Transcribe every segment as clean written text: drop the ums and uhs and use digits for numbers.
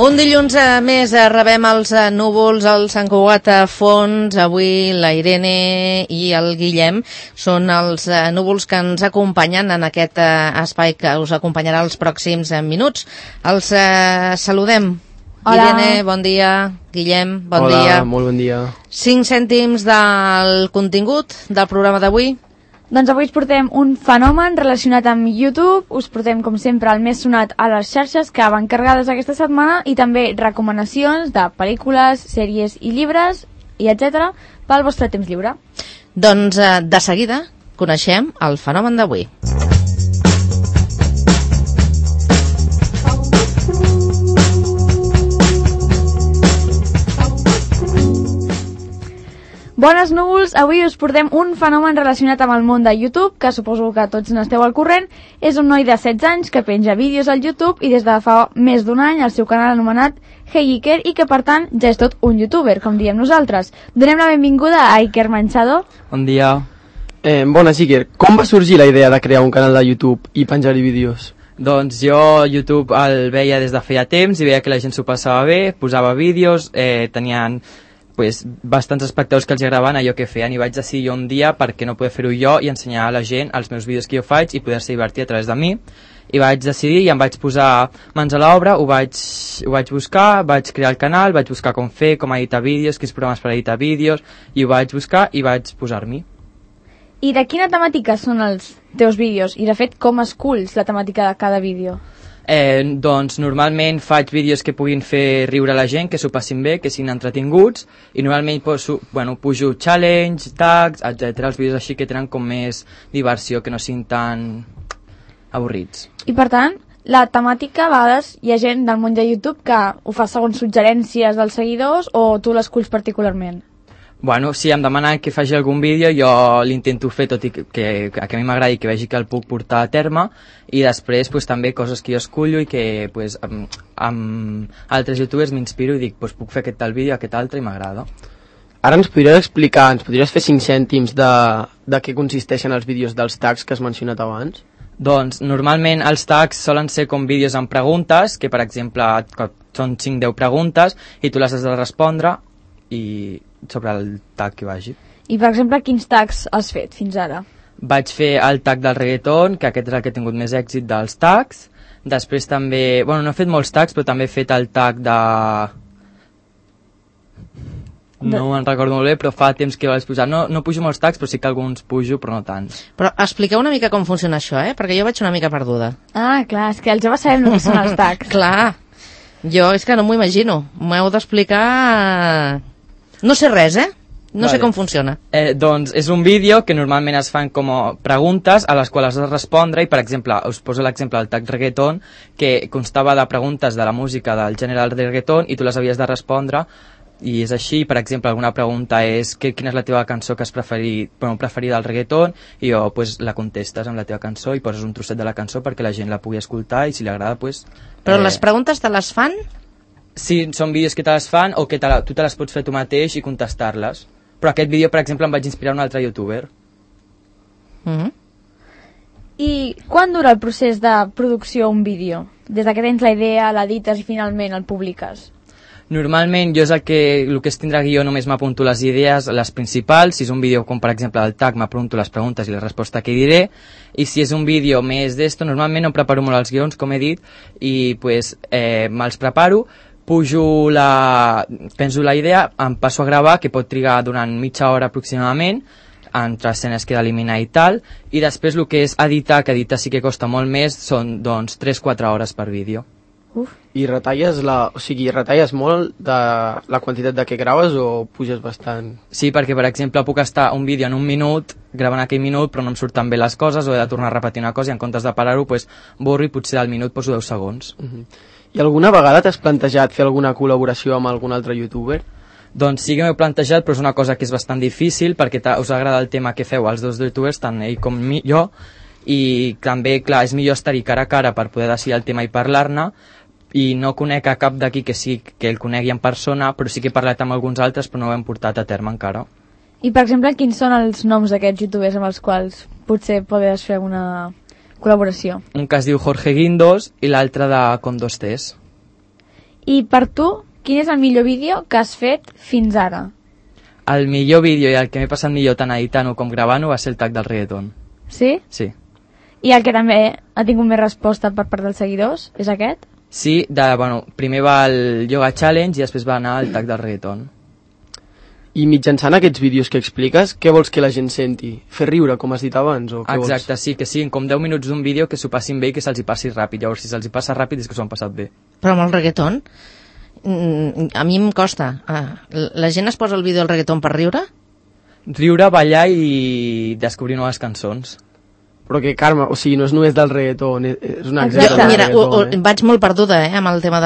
Un dilluns més rebem els núvols al Sant Cugat a fons. Avui la Irene i el Guillem són els núvols que ens acompanyen en aquest espai que us acompanyarà els pròxims minuts. Els saludem. Hola. Irene, bon dia. Guillem, bon dia. Hola, molt bon dia. 5 cèntims del contingut del programa d'avui. Doncs avui us portem un fenomen relacionat amb YouTube, us portem com sempre el més sonat a les xarxes que van carregades aquesta setmana i també recomanacions de pel·lícules, sèries i llibres i etc. pel vostre temps lliure. Doncs de seguida coneixem el fenomen d'avui. Bones núvols, avui us portem un fenomen relacionat amb el món de YouTube, que suposo que tots n'esteu al corrent. És un noi de 16 anys que penja vídeos al YouTube i des de fa més d'un any el seu canal anomenat Hey Iker, i que per tant ja és tot un youtuber, com diem nosaltres. Donem la benvinguda a Iker Manchado. Bon dia. Bones, Iker. Com va sorgir la idea de crear un canal de YouTube i penjar-hi vídeos? Doncs jo YouTube el veia des de feia temps i veia que la gent s'ho passava bé, posava vídeos, tenien bastants espectadors que els agradaven allò que feien, i vaig decidir jo un dia per què no poder fer-ho jo i ensenyar a la gent els meus vídeos que jo faig i poder-se divertir a través de mi. I vaig decidir i em vaig posar mans a l'obra, ho vaig buscar, vaig crear el canal, vaig buscar com fer, com editar vídeos, quins programes per editar vídeos, i ho vaig buscar i vaig posar-m'hi. I de quina temàtica són els teus vídeos? I de fet, com esculls la temàtica de cada vídeo? Doncs normalment faig vídeos que puguin fer riure la gent, que s'ho passin bé, que siguin entretinguts, i normalment pujo challenge, tags, etc. Els vídeos així que tenen com més diversió, que no siguin tan avorrits. I per tant, la temàtica, a vegades hi ha gent del món de YouTube que ho fa segons suggerències dels seguidors, o tu l'esculls particularment? Bueno, si em demanen que faci algun vídeo, jo l'intento fer, tot i que a mi m'agradi, que vegi que el puc portar a terme, i després també coses que jo escullo i que amb altres youtubers m'inspiro i dic, puc fer aquest tal vídeo, aquest altre, i m'agrada. Ara ens podries explicar, ens podries fer 5 cèntims de què consisteixen els vídeos dels tags que has mencionat abans? Doncs normalment els tags solen ser com vídeos amb preguntes, que per exemple són 5-10 preguntes i tu les has de respondre i sobre el tag que vagi. I per exemple, quins tags has fet fins ara? Vaig fer el tag del reggaeton, que aquest és el que ha tingut més èxit dels tags. Després també, no he fet molts tags, però també he fet el tag de... No me'n recordo molt bé, però fa temps que vaig posar. No pujo molts tags, però sí que alguns pujo, però no tants. Però expliqueu una mica com funciona això, perquè jo vaig una mica perduda. Ah, clar, és que els joves sabem el que són els tags. Clar, jo és que no m'ho imagino. M'heu d'explicar... No sé res, No sé com funciona. Doncs és un vídeo que normalment es fan com preguntes a les quals has de respondre, i per exemple, us poso l'exemple del tag reggaeton, que constava de preguntes de la música del gènere del reggaeton i tu les havies de respondre, i és així. Per exemple, alguna pregunta és quina és la teva cançó que has preferida del reggaeton, i la contestes amb la teva cançó i poses un trosset de la cançó perquè la gent la pugui escoltar, i si li agrada Però les preguntes te les fan? Sí, són vídeos que te les fan o que tu te les pots fer tu mateix i contestar-les. Però aquest vídeo, per exemple, em vaig inspirar un altre youtuber. I quan dura el procés de producció un vídeo? Des que tens la idea, l'edites i finalment el publiques? Normalment jo és el que és tindre guió, només m'apunto les idees, les principals. Si és un vídeo com per exemple del tag, m'apunto les preguntes i la resposta que diré, i si és un vídeo més d'esto, normalment no preparo molt els guions, com he dit, i me'ls preparo, penso la idea, em passo a gravar, que pot trigar durant mitja hora aproximadament, entre escenes que he d'eliminar i tal, i després el que és editar, que editar sí que costa molt més, són 3-4 hores per vídeo. I retalles molt de la quantitat de què graves o puges bastant? Sí, perquè per exemple puc estar un vídeo en un minut, gravant aquell minut, però no em surten bé les coses, o he de tornar a repetir una cosa i en comptes de parar-ho, borro i potser al minut poso 10 segons. I alguna vegada t'has plantejat fer alguna col·laboració amb algun altre youtuber? Doncs sí que m'he plantejat, però és una cosa que és bastant difícil perquè us agrada el tema que feu els dos youtubers, tant ell com jo, i també, clar, és millor estar-hi cara a cara per poder decidir el tema i parlar-ne, i no conec a cap d'aquí que el conegui en persona, però sí que he parlat amb alguns altres, però no ho hem portat a terme encara. I per exemple, quins són els noms d'aquests youtubers amb els quals potser podries fer una col·laboració? Un que es diu Jorge Guindos i l'altre de Con 2 Ts. I per tu, quin és el millor vídeo que has fet fins ara? El millor vídeo i el que m'he passat millor tant editant-ho com gravant-ho va ser el tag del reggaeton. Sí? Sí. I el que també ha tingut més resposta per part dels seguidors és aquest? Sí, primer va el Yoga Challenge i després va anar el tag del reggaeton. I mitjançant aquests vídeos que expliques, què vols que la gent senti? Fer riure, com has dit abans? O què Exacte, vols? sí, que siguin com 10 minuts d'un vídeo que s'ho passin bé i que se'ls hi passi ràpid. Llavors, si se'ls hi passa ràpid és que s'ho han passat bé. Però amb el reggaeton, a mi em costa. La gent es posa el vídeo del reggaeton per riure? Riure, ballar i descobrir noves cançons. Però que, Carme, o sigui, no és només del reggaeton, és un Exacte. exemple del Mira, reggaeton, vaig molt perduda amb el tema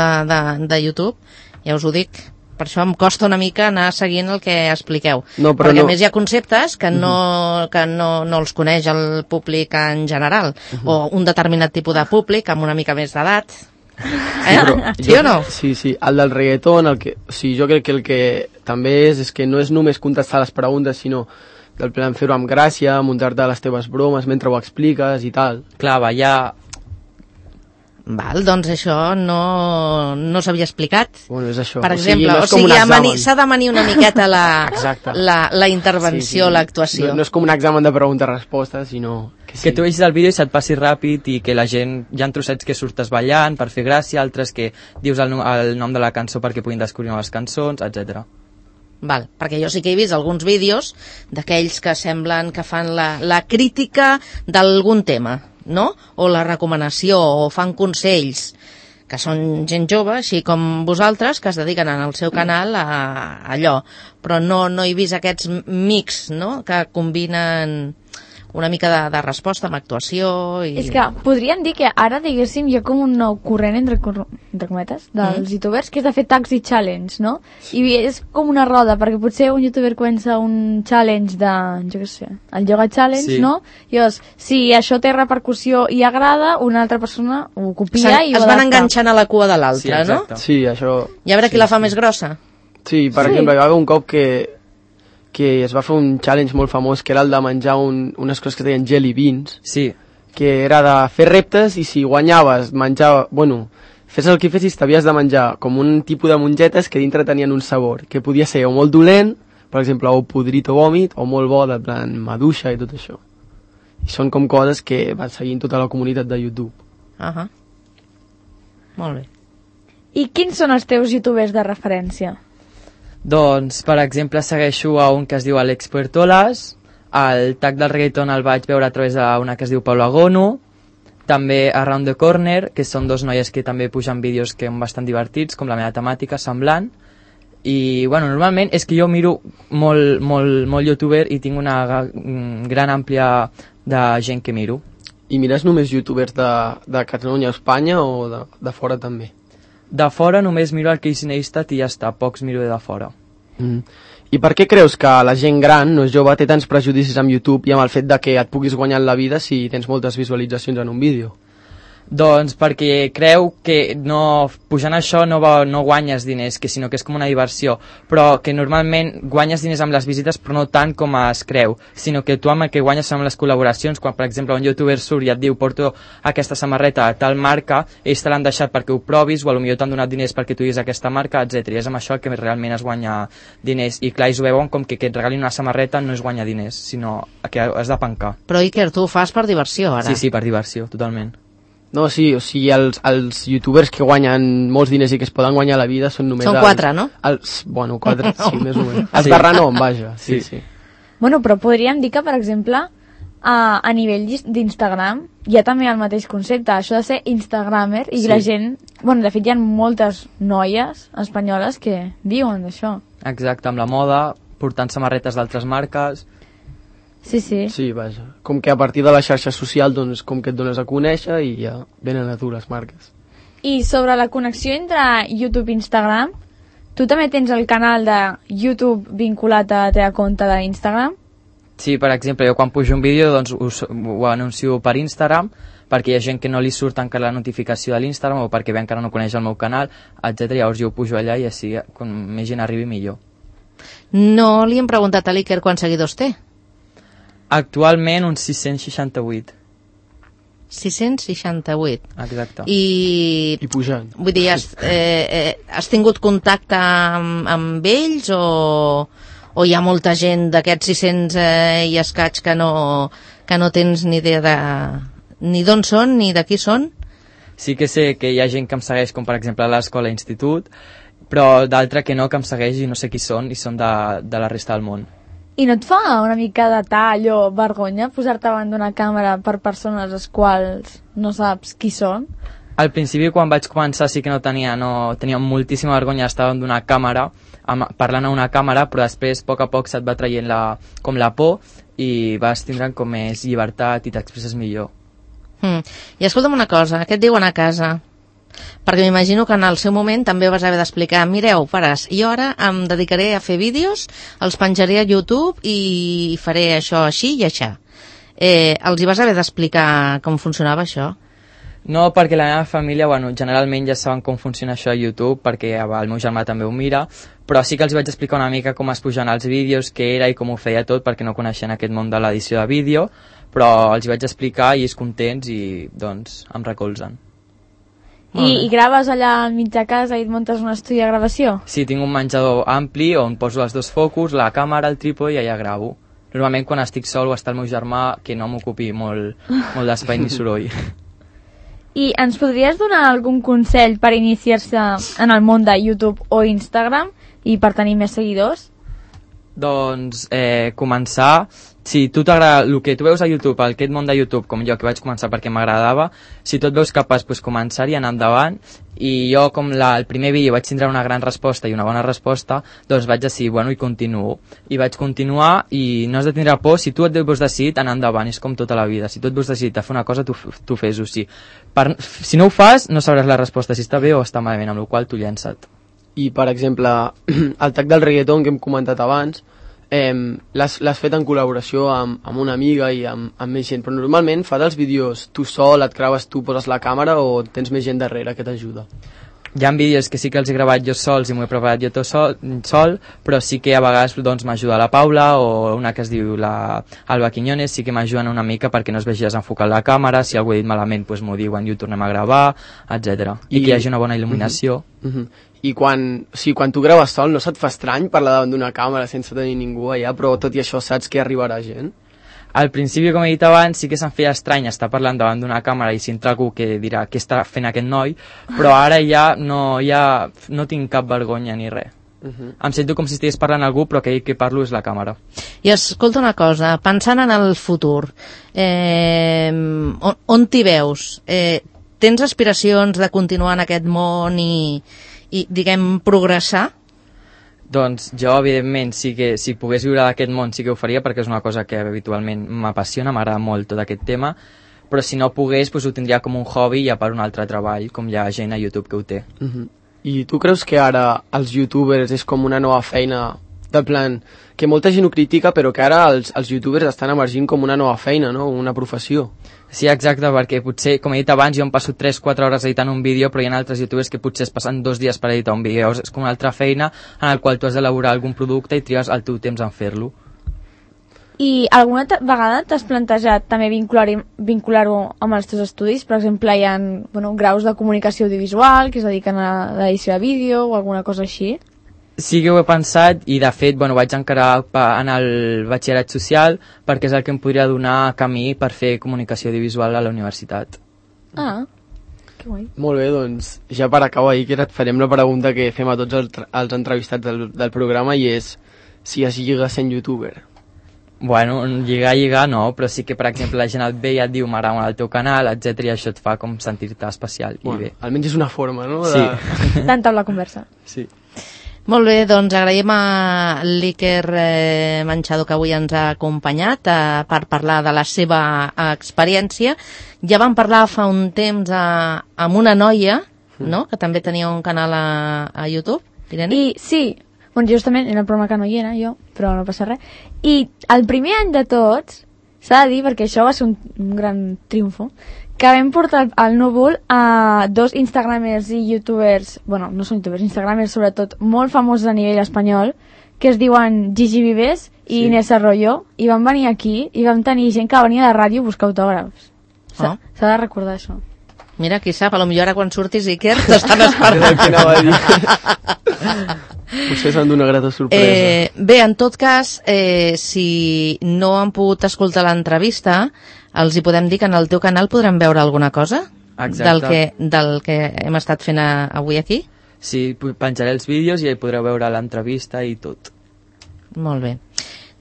de YouTube, ja us ho dic. Per això em costa una mica anar seguint el que expliqueu. No, però perquè no. a més hi ha conceptes que no els coneix el públic en general, o un determinat tipus de públic amb una mica més d'edat. Sí o no? Sí, sí, el del reggaeton, o sigui, jo crec que el que també és que no és només contestar les preguntes, sinó del plan fer-ho amb gràcia, muntar-te les teves bromes mentre ho expliques i tal. Clar, ballar... Val, doncs això no s'havia explicat. Bueno, és això. Per exemple, s'ha de manir una miqueta la intervenció, l'actuació. No és com un examen de pregunta-resposta, sinó... Que tu vegis el vídeo i se't passi ràpid i que la gent... Hi ha trossets que surtes ballant per fer gràcia, altres que dius el nom de la cançó perquè puguin descobrir noves cançons, etc. Val, perquè jo sí que he vist alguns vídeos d'aquells que semblen que fan la crítica d'algun tema, no? O la recomanació, o fan consells, que són gent jove, així com vosaltres, que es dediquen en el seu canal a allò. Però no he vist aquests mix, no?, que combinen una mica de resposta amb actuació i... És que podríem dir que ara, diguéssim, hi ha com un nou corrent, entre cometes, dels youtubers, que és de fer tags i challenge, no? I és com una roda, perquè potser un youtuber comença un challenge de, jo què sé, el yoga challenge, sí, no? I llavors, si això té repercussió i agrada, una altra persona ho copia i ho es van enganxant a la cua de l'altre, no? Sí, això... I a veure qui la fa més grossa. Sí, per exemple, hi va haver un cop que es va fer un challenge molt famós, que era el de menjar unes coses que es deien jelly beans, sí, que era de fer reptes i si guanyaves, fes el que fessis, t'havies de menjar com un tipus de mongetes que dintre tenien un sabor, que podia ser o molt dolent, per exemple, o podrit o vòmit, o molt bo, de plan maduixa i tot això. I són com coses que van seguint tota la comunitat de YouTube. Molt bé. I quins són els teus youtubers de referència? Doncs, per exemple, segueixo a un que es diu Alex Puertolas, el tag del reggaeton el vaig veure a través d'una que es diu Paula Gono, també Around the Corner, que són dos noies que també pugen vídeos que són bastant divertits, com la meva temàtica, semblant, i, bueno, normalment és que jo miro molt youtuber i tinc una gran àmplia de gent que miro. I mires només youtubers de Catalunya o Espanya o de fora també? De fora només miro el Casey Neistat i ja està, pocs miro de fora. I per què creus que la gent gran, no és jove, té tants prejudicis amb YouTube i amb el fet de que et puguis guanyar la vida si tens moltes visualitzacions en un vídeo? Doncs perquè creu que pujant això no guanyes diners, sinó que és com una diversió, però que normalment guanyes diners amb les visites però no tant com es creu, sinó que tu amb el que guanyes són les col·laboracions. Quan per exemple un youtuber surt i et diu porto aquesta samarreta a tal marca, ells te l'han deixat perquè ho provis o potser t'han donat diners perquè tu diguis aquesta marca, etc. I és amb això que realment es guanya diners. I clar, ells ho veuen com que et regalin una samarreta no es guanya diners, sinó que has de pencar. Però Iker, tu ho fas per diversió ara? Sí, per diversió, totalment. No, sí, o sigui, els youtubers que guanyen molts diners i que es poden guanyar la vida són només... Són 4, no? Bueno, 4, sí, més o menys. Els de renom, vaja, sí. Bueno, però podríem dir que, per exemple, a nivell d'Instagram hi ha també el mateix concepte, això de ser instagramer, i la gent... Bueno, de fet, hi ha moltes noies espanyoles que viuen d'això. Exacte, amb la moda, portant samarretes d'altres marques... Sí. Sí, vaja. Com que a partir de la xarxa social, doncs, com que et dones a conèixer i ja venen a tu les marques. I sobre la connexió entre YouTube i Instagram, tu també tens el canal de YouTube vinculat a la teva compte d'Instagram? Sí, per exemple, jo quan pujo un vídeo doncs ho anuncio per Instagram, perquè hi ha gent que no li surt encara la notificació de l'Instagram o perquè encara no coneix el meu canal, etc. Llavors jo ho pujo allà i així com més gent arribi millor. No li hem preguntat a l'Iker quants seguidors té? Actualment uns 668. 668. Exacte. I pujant. Vull dir, has tingut contacte amb ells o hi ha molta gent d'aquests 600 i escaig que no tens ni idea ni d'on són ni de qui són? Sí que sé que hi ha gent que em segueix, com per exemple a l'escola i institut, però d'altra que no, que em segueix i no sé qui són, i són de la resta del món. I no et fa una mica de tall o vergonya posar-te davant d'una càmera per persones les quals no saps qui són? Al principi, quan vaig començar, sí que tenia moltíssima vergonya estar davant d'una càmera, parlant a una càmera, però després, a poc a poc, se't va traient com la por i vas tindre com més llibertat i t'expresses millor. I escolta'm una cosa, què et diuen a casa? Perquè m'imagino que en el seu moment també vas haver d'explicar, mireu, pares, jo ara em dedicaré a fer vídeos, els penjaré a YouTube i faré això així i aixà. Els hi vas haver d'explicar com funcionava això? No, perquè la meva família, generalment ja saben com funciona això a YouTube, perquè el meu germà també ho mira, però sí que els vaig explicar una mica com es pujaven els vídeos, què era i com ho feia tot, perquè no coneixien aquest món de l'edició de vídeo, però els vaig explicar i ells contents i, doncs, em recolzen. I graves allà al mig de casa i et muntes un estudi de gravació? Sí, tinc un menjador ampli on poso els dos focus, la càmera, el trípode i allà gravo. Normalment quan estic sol o està el meu germà, que no m'ocupi molt d'espai ni soroll. I ens podries donar algun consell per iniciar-se en el món de YouTube o Instagram i per tenir més seguidors? Doncs començar, si tu t'agrada el que tu veus a YouTube, aquest món de YouTube, com jo, que vaig començar perquè m'agradava, si tu et veus capaç, començar i anar endavant, i jo com el primer vídeo vaig tindre una gran resposta i una bona resposta, doncs vaig decidir, i continuo. I vaig continuar i no has de tindre por, si tu et veus decidit, anar endavant, és com tota la vida, si tu et veus decidit a fer una cosa, tu fes-ho, sí. Si no ho fas, no sabràs la resposta, si està bé o està malament, amb la qual tu llença't. I, per exemple, el tag del reggaeton que hem comentat abans, l'has fet en col·laboració amb una amiga i amb més gent, però normalment fas els vídeos tu sol, et graves tu, poses la càmera o tens més gent darrere que t'ajuda? Hi ha vídeos que sí que els he gravat jo sols i m'ho he preparat jo tot sol, però sí que a vegades m'ajuda la Paula o una que es diu Alba Quiñones, sí que m'ajuden una mica perquè no es vegi desenfocat la càmera, si algú he dit malament m'ho diuen i ho tornem a gravar, etc. I que hi hagi una bona il·luminació. I quan tu graves sol no se't fa estrany parlar davant d'una càmera sense tenir ningú allà, però tot i això saps que arribarà gent? Al principi, com he dit abans, sí que se'm feia estrany estar parlant davant d'una càmera i si entra algú que dirà què està fent aquest noi, però ara ja no tinc cap vergonya ni res. Em sento com si estigués parlant a algú, però que parlo és la càmera. I escolta una cosa, pensant en el futur, on t'hi veus? Tens aspiracions de continuar en aquest món i diguem, progressar? Doncs jo, evidentment, sí que si pogués viure d'aquest món sí que ho faria, perquè és una cosa que habitualment m'apassiona, m'agrada molt tot aquest tema, però si no pogués, ho tindria com un hobby i a part un altre treball, com hi ha gent a YouTube que ho té. I tu creus que ara els youtubers és com una nova feina, de plan, que molta gent ho critica, però que ara els youtubers estan emergint com una nova feina, no? Una professió? Sí, exacte, perquè potser, com he dit abans, jo em passo 3-4 hores editant un vídeo, però hi ha altres youtubers que potser es passen 2 dies per editar un vídeo. És com una altra feina en la qual tu has d'elaborar algun producte i tries el teu temps en fer-lo. I alguna vegada t'has plantejat també vincular-ho amb els teus estudis? Per exemple, hi ha graus de comunicació audiovisual que es dediquen a l'edició de vídeo o alguna cosa així? Sí que ho he pensat i de fet vaig encarar en el batxillerat social perquè és el que em podria donar camí per fer comunicació audiovisual a la universitat. Ah, que guai. Molt bé, doncs ja per acabar, Iker, et farem la pregunta que fem a tots els entrevistats del programa i és si es lliga sent youtuber. Bueno, lligar no, però sí que per exemple la gent et ve i et diu m'agrada el teu canal, etc i això et fa com sentir-te especial. Bueno, i bé. Almenys és una forma, no? Sí. D'entablar la conversa. Sí. Molt bé, doncs agraïm a l'Iker Manchado que avui ens ha acompanyat per parlar de la seva experiència. Ja vam parlar fa un temps amb una noia, no?, que també tenia un canal a YouTube, Irene? I sí, justament era el programa que no hi era jo, però no passa res. I el primer any de tots, s'ha de dir, perquè això va ser un gran triomfo, que vam portar al núvol a 2 instagramers i youtubers, no són youtubers, instagramers sobretot, molt famosos a nivell espanyol, que es diuen Gigi Vives i Inés Arroyo, i van venir aquí i vam tenir gent que venia de ràdio a buscar autògrafs. S'ha de recordar això. Mira, qui sap, potser ara quan surtis Iker t'estan esperant. Què anava a dir? Potser s'han d'una grata sorpresa. Bé, en tot cas, si no han pogut escoltar l'entrevista, els hi podem dir que en el teu canal podran veure alguna cosa? Exacte. Del que hem estat fent avui aquí? Sí, penjaré els vídeos i hi podreu veure l'entrevista i tot. Molt bé.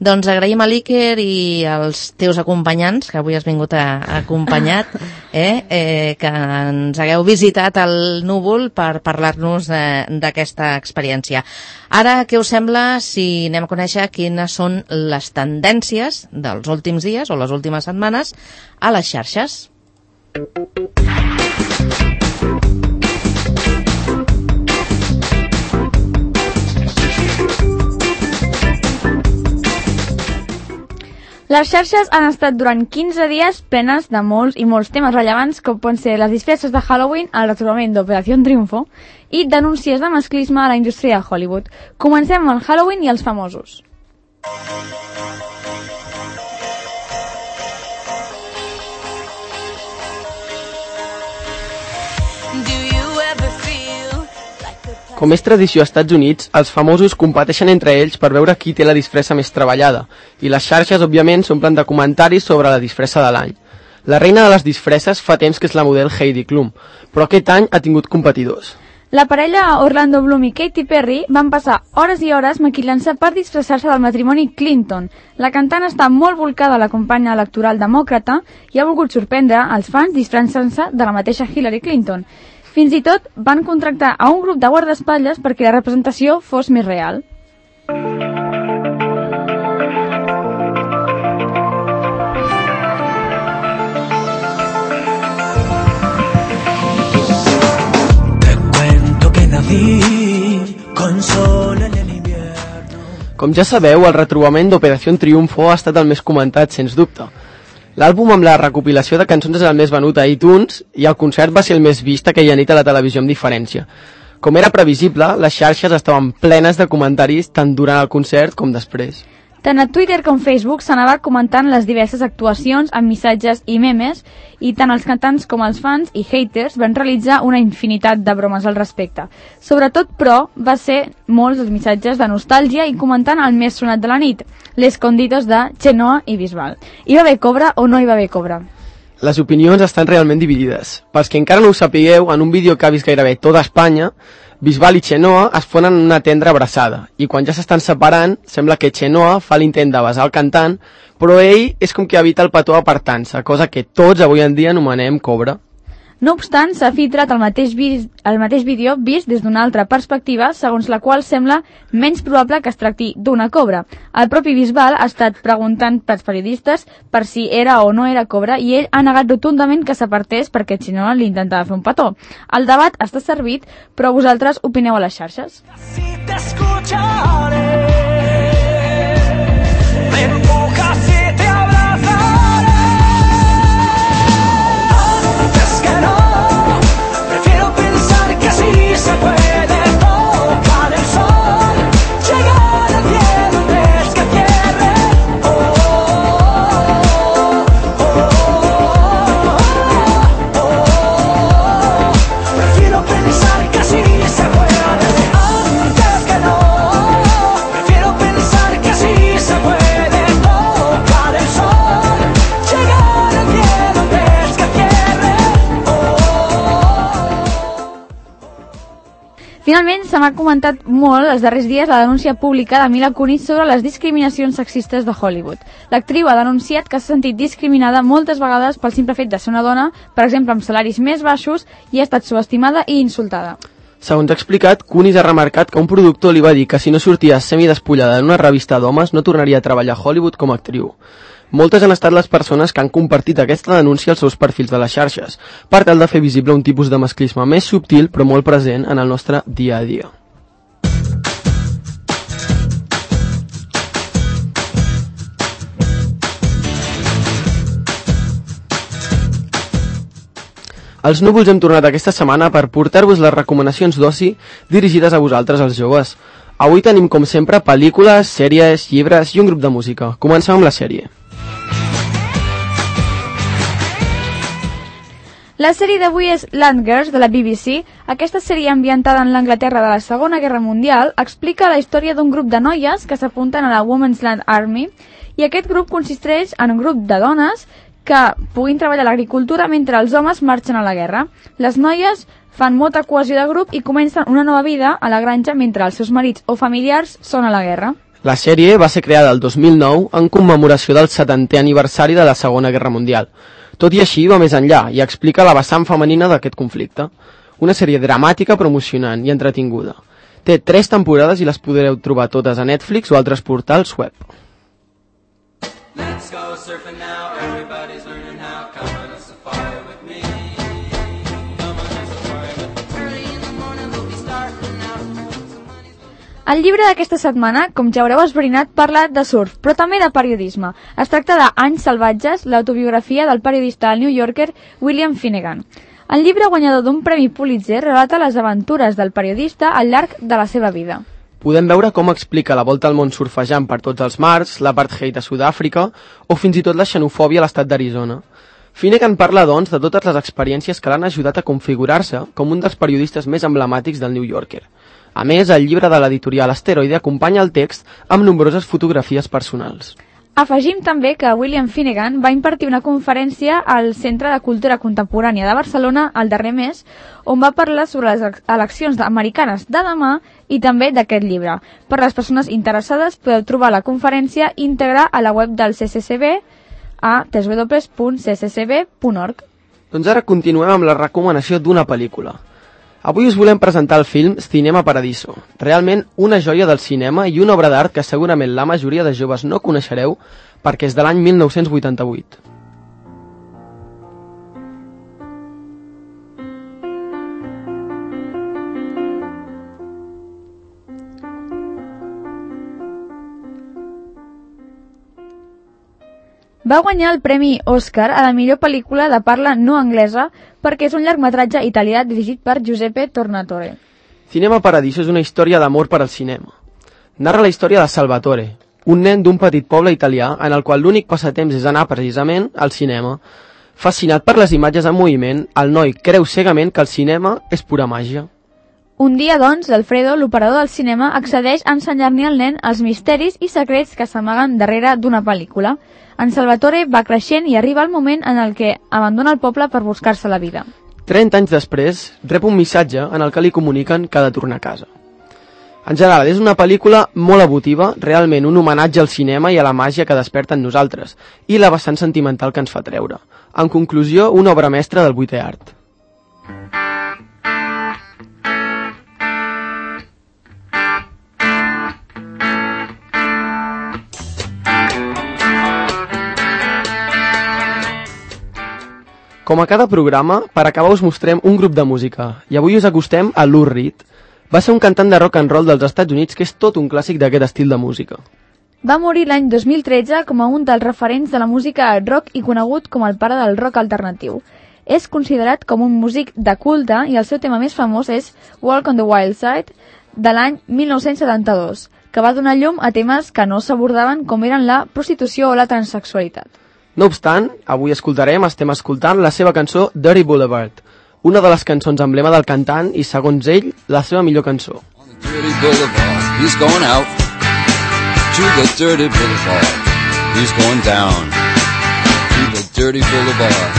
Doncs agraïm a l'Iker i als teus acompanyants, que avui has vingut acompanyat, que ens hagueu visitat al Núvol per parlar-nos d'aquesta experiència. Ara, què us sembla si anem a conèixer quines són les tendències dels últims dies o les últimes setmanes a les xarxes? Les xarxes han estat durant 15 dies plenes de molts i molts temes rellevants, com poden ser les disfresses de Halloween, el retrobament d'Operació Triunfo i denúncies de masclisme a la indústria de Hollywood. Comencem amb el Halloween i els famosos. Com és tradició als Estats Units, els famosos competeixen entre ells per veure qui té la disfressa més treballada, i les xarxes, òbviament, s'omplen de comentaris sobre la disfressa de l'any. La reina de les disfresses fa temps que és la model Heidi Klum, però aquest any ha tingut competidors. La parella Orlando Bloom i Katy Perry van passar hores i hores maquillant-se per disfressar-se del matrimoni Clinton. La cantant està molt volcada a la campanya electoral demòcrata i ha volgut sorprendre els fans disfressant-se de la mateixa Hillary Clinton. Fins i tot van contractar a un grup de guardaespatlles perquè la representació fos més real. Com ja sabeu, el retrobament d'Operació Triunfo ha estat el més comentat, sens dubte. L'àlbum amb la recopilació de cançons és el més venut a iTunes i el concert va ser el més vist aquella nit a la televisió amb diferència. Com era previsible, les xarxes estaven plenes de comentaris tant durant el concert com després. Tant a Twitter com Facebook s'anava comentant les diverses actuacions amb missatges i memes i tant els cantants com els fans i haters van realitzar una infinitat de bromes al respecte. Sobretot, però, va ser molts els missatges de nostàlgia i comentant el més sonat de la nit, l'Escondidos de Chenoa i Bisbal. Hi va haver cobra o no hi va haver cobra? Les opinions estan realment dividides. Pels que encara no ho sapigueu, en un vídeo que ha vist gairebé tota Espanya, Bisbal i Chenoa es fonen en una tendra abraçada i quan ja s'estan separant sembla que Chenoa fa l'intent de besar el cantant, però ell és com que evita el petó apartant-se, cosa que tots avui en dia anomenem cobra. No obstant, s'ha filtrat el mateix vídeo vist des d'una altra perspectiva, segons la qual sembla menys probable que es tracti d'una cobra. El propi Bisbal ha estat preguntant pels periodistes per si era o no era cobra i ell ha negat rotundament que s'apartés perquè Chenoa li intentava fer un petó. El debat està servit, però vosaltres opineu a les xarxes. Si t'escucharé, me empujas y te abrazaré. Se puede tocar el sol, llegar al cielo antes que cierre. Prefiero pensar que sí se puede antes que no. Prefiero pensar que sí se puede tocar el sol, llegar al cielo antes que cierre. Finalment, se m'ha comentat molt els darrers dies la denúncia pública de Mila Kunis sobre les discriminacions sexistes de Hollywood. L'actriu ha denunciat que s'ha sentit discriminada moltes vegades pel simple fet de ser una dona, per exemple amb salaris més baixos, i ha estat subestimada i insultada. Segons ha explicat, Kunis ha remarcat que un productor li va dir que si no sortia semidespullada en una revista d'homes no tornaria a treballar a Hollywood com a actriu. Moltes han estat les persones que han compartit aquesta denúncia als seus perfils de les xarxes, per tal de fer visible un tipus de masclisme més subtil però molt present en el nostre dia a dia. Els Núvols hem tornat aquesta setmana per portar-vos les recomanacions d'oci dirigides a vosaltres, els joves. Avui tenim, com sempre, pel·lícules, sèries, llibres i un grup de música. Comencem amb la sèrie. La sèrie d'avui és Land Girls, de la BBC. Aquesta sèrie ambientada en l'Anglaterra de la Segona Guerra Mundial explica la història d'un grup de noies que s'apunten a la Women's Land Army, i aquest grup consisteix en un grup de dones que puguin treballar a l'agricultura mentre els homes marxen a la guerra. Les noies fan molta cohesió de grup i comencen una nova vida a la granja mentre els seus marits o familiars són a la guerra. La sèrie va ser creada el 2009 en commemoració del 70è aniversari de la Segona Guerra Mundial. Tot i així va més enllà i explica la vessant femenina d'aquest conflicte. Una sèrie dramàtica, però emocionant i entretinguda. Té 3 temporades i les podreu trobar totes a Netflix o altres portals web. Let's go surfing now, everybody's learning how, come on a safari with me. Come on a safari with me. Early in the morning we'll be starting out. El llibre d'aquesta setmana, com ja haureu esbrinat, parla de surf, però també de periodisme. Es tracta de Anys salvatges, l'autobiografia del periodista del New Yorker William Finnegan. El llibre guanyador d'un premi Pulitzer relata les aventures del periodista al llarg de la seva vida. Podem veure com explica la volta al món surfejant per tots els mars, l'apartheid a Sud-àfrica o fins i tot la xenofòbia a l'estat d'Arizona. Finnegan parla, doncs, de totes les experiències que l'han ajudat a configurar-se com un dels periodistes més emblemàtics del New Yorker. A més, el llibre de l'editorial Asteroide acompanya el text amb nombroses fotografies personals. Afegim també que William Finnegan va impartir una conferència al Centre de Cultura Contemporània de Barcelona el darrer mes, on va parlar sobre les eleccions americanes de demà i també d'aquest llibre. Per les persones interessades podeu trobar la conferència íntegra a la web del CCCB a www.cccb.org. Doncs ara continuem amb la recomanació d'una pel·lícula. Avui us volem presentar el film Cinema Paradiso, realment una joia del cinema i una obra d'art que segurament la majoria de joves no coneixereu perquè és de l'any 1988. Va guanyar el Premi Òscar a la millor pel·lícula de parla no anglesa perquè és un llargmetratge italià dirigit per Giuseppe Tornatore. Cinema Paradiso és una història d'amor per al cinema. Narra la història de Salvatore, un nen d'un petit poble italià en el qual l'únic passatemps és anar precisament al cinema. Fascinat per les imatges en moviment, el noi creu cegament que el cinema és pura màgia. Un dia, doncs, Alfredo, l'operador del cinema, accedeix a ensenyar-li al nen els misteris i secrets que s'amaguen darrere d'una pel·lícula. En Salvatore va creixent i arriba el moment en el que abandona el poble per buscar-se la vida. 30 anys després, rep un missatge en el que li comuniquen que ha de tornar a casa. En general, és una pel·lícula molt emotiva, realment un homenatge al cinema i a la màgia que desperta en nosaltres, i la vessant sentimental que ens fa treure. En conclusió, una obra mestra del 8è art. Com a cada programa, per acabar us mostrem un grup de música, i avui us acostem a Lou Reed. Va ser un cantant de rock and roll dels Estats Units que és tot un clàssic d'aquest estil de música. Va morir l'any 2013 com a un dels referents de la música rock i conegut com el pare del rock alternatiu. És considerat com un músic de culte i el seu tema més famós és Walk on the Wild Side, de l'any 1972, que va donar llum a temes que no s'abordaven com eren la prostitució o la transsexualitat. No obstant, avui estem escoltant la seva cançó Dirty Boulevard, una de les cançons emblema del cantant i, segons ell, la seva millor cançó. On the dirty boulevard, he's going out to the dirty boulevard. He's going down to the dirty boulevard.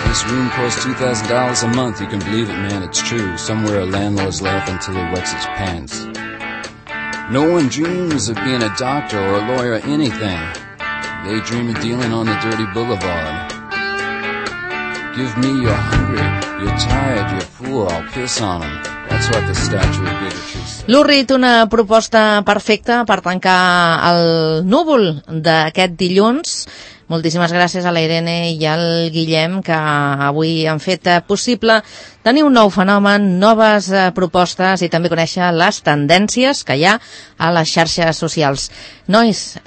This room costs $2,000 a month. You can believe it, man, it's true. Somewhere a landlord's laughing till he wets his pants. No one dreams of being a doctor or a lawyer or anything. They dream of dealing on the dirty boulevard. Give me you're hungry, you're tired, you're poor, I'll piss on them. That's what the statue of bigotry says. Lou Reed, una proposta perfecta per tancar el núvol d'aquest dilluns. Moltíssimes gràcies a la Irene i al Guillem, que avui han fet possible tenir un nou fenomen, noves propostes i també conèixer les tendències que hi ha a les xarxes socials. Nois,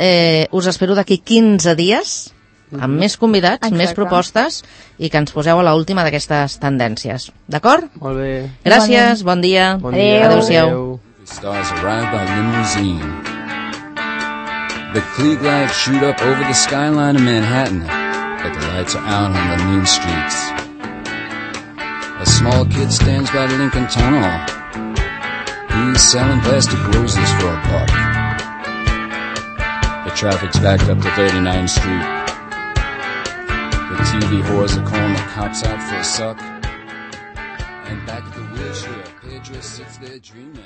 us espero d'aquí 15 dies amb més convidats, exacte, més propostes i que ens poseu a l'última d'aquestes tendències. D'acord? Molt bé. Gràcies, bon dia. Bon dia. Adéu-siau. Stars arrive by limousine. The Klieg lights shoot up over the skyline of Manhattan, but the lights are out on the mean streets. A small kid stands by the Lincoln Tunnel. He's selling plastic roses for a buck. The traffic's backed up to 39th Street. The TV whores are calling the cops out for a suck. And back at the wheelchair, Pedro sits there dreaming.